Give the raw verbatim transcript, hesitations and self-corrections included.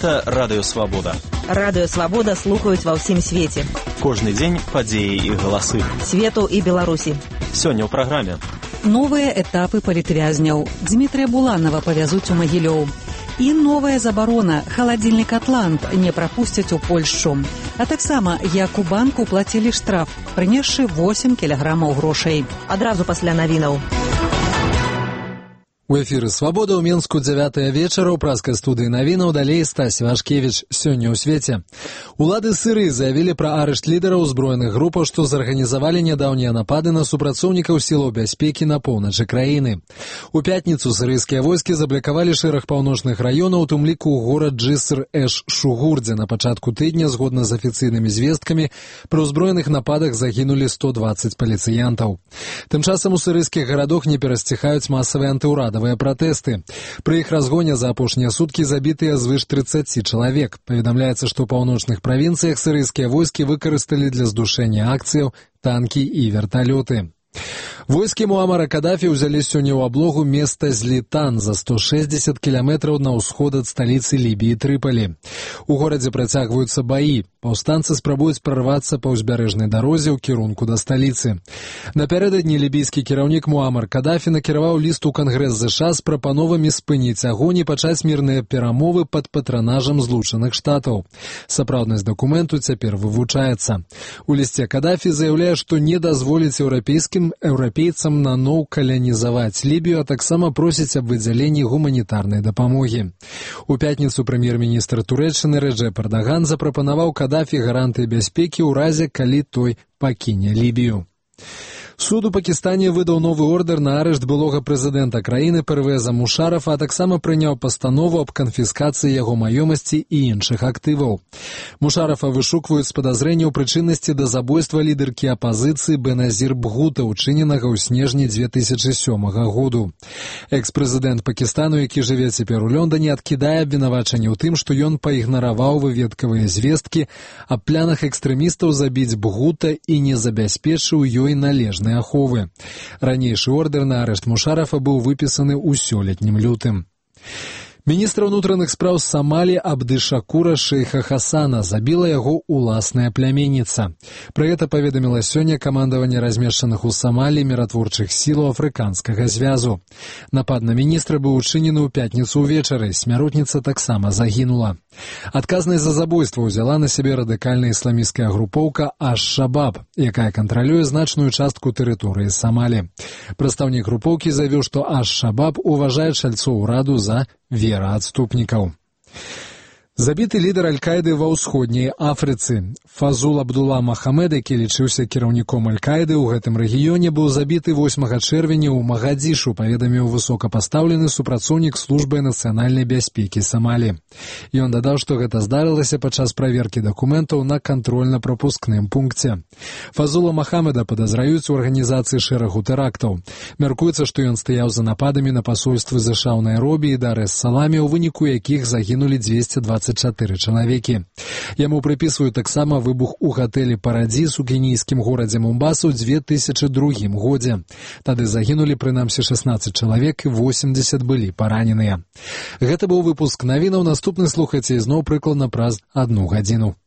Гэта Радыё Свабода. Радыё Свабода слухаюць ва ўсім свеце. Кожны дзень падзеі і галасы. Свету і Беларусі. Сёння ў праграме. Новыя этапы палітвязняў. Дмітрия Буланова павязуць у Магілёў. І новая забарона. Халадзільнік «Атлант» не прапусцяць у Польшчу. А таксама, як у банку плацілі штраф, прынесшы восемь кілаграмаў грошай. Адразу пасля навінаў. У эфіры «Свабода» ў Менску дзявятая вечара ў праскай студыі навінаў, далей Стась Вашкевіч. Сёння ў свеце. Улады Сырыі заявілі пра арышт лідараў узброеных групаў, што зарганізавалі нядаўнія напады на супрацоўнікаў сілаў бяспекі на поўначы краіны. У пятніцу сырыйскія войскі заблакавалі шэраг паўночных раёнаў, у тым ліку горад Джыср-эш-Шугур, дзе на пачатку тыдня, згодна з афіцыйнымі звесткамі, пры ўзброеных нападах загінулі сто дваццаць паліцыянтаў. Тым часам у сырыйскіх гарадах не перасціхаюць масавыя антыўрадавыя пратэсты. Пры іх разгоне за апошнія суткі забітыя звыш трыццаці чалавек. Паведамляецца, што ў паўночных правінцыях сырыйскія войскі выкарысталі для здушэння акцыяў танкі і верталёты. Войскі Муамара Кадафі ўзялі сёння ў аблогу места Злітан за сто шэсцьдзесят кіламетраў на ўсход ад сталіцы Лібіі Трыпалі. У горадзе працягваюцца баі. Паўстанцы спрабуюць прарвацца па ўзбярэжнай дарозе ў кірунку да сталіцы. Напярэдадні лібійскі кіраўнік Муамар Кадафі накіраваў ліст у Кангрэс ЗША з прапановамі спыніць агонь і пачаць мірныя перамовы пад патранажам Злучаных Штатаў. Сапраўднасць дакументу цяпер вывучаецца. У лісце Кадафі заяўляе, што не дазволіць еўрапейскім еўрапейцам наноў калянізаваць Лібію, а таксама просіць аб выдзяленні гуманітарнай дапамогі. У пятніцу прэм'ер-міністр Турэччыны Рэджэп Эрдаган запрапанаваў Кадафі гарантыі бяспекі ў разе, калі той пакіне Лібію. Суд у Пакістане выдаў новы ордер на арышт былога прэзідэнта краіны Первеза Мушарафа, а таксама прыняў пастанову аб канфіскацыі яго маёмасці і іншых актываў. Мушарафа вышукваюць з падазрэнняў прычыннасці да забойства лідаркі апазіцыі Беназір Бхута, учыненага ў снежні дзве тысячы сёмага году. Экс-прэзідэнт Пакістану, які жыве цяпер у Лондоне, адкідае абвінавачанне ў тым, што ён паігнараваў выведкавыя звесткі аб планах экстрэмістаў забіць Бхута і не забяспечыў ёй належнай аховы. Ранейшы ордер на арышт Мушарафа быў выпісаны ў сёлетнім лютым. Міністр унутраных спраў Самалі Абдышакура Шейха Хасана забіла яго уласная пляменніца. Пра гэта паведаміла сёння камандаванне размешчаных у Самалі міратворчых сілаў афрыканскага звязу. Напад на міністра быў учынены ў пятніцу ўвечары, смяротніца таксама загінула. Адказнасць за забойства ўзяла на сябе радыкальная ісламісцкая групоўка Аш-Шабаб, якая кантралюе значную частку тэрыторыі Самалі. Прадстаўнік групоўкі заявіў, што Аш-Шабаб уважае чальцоў ураду за вераадступнікаў. Забіты лідар Аль-Каіды ва ўсходняй Афрыцы. Фазул Абдулла Махамед, які лічыўся кіраўніком Аль-Каіды ў гэтым рэгіёне, быў забіты восьмага чэрвеня ў Магадзішу, паведаміў высокапастаўлены супрацоўнік службы нацыянальнай бяспекі Самалі. Ён дадаў, што гэта здарылася падчас праверкі дакументаў на кантрольна-прапускным пункце. Фазула Махамеда падазраюць у арганізацыі шэрагу тэрактаў. Мяркуецца, што ён стаяў за нападамі на пасольствы ЗША ў Найробі і Дар-эс-Саламе, у выніку якіх загінулі дзвесце дваццаць чатыры чалавекі. Яму прыпісваюць таксама выбух у гатэлі «Парадзіс» у кенійскім горадзе Момбаса ў дзве тысячы другім годзе. Тады загінулі прынамсі шаснаццаць чалавек і восемьдзесят былі параненыя. Гэта быў выпуск навінаў. Наступны слухайце ізноў прыкладна праз адну гадзіну.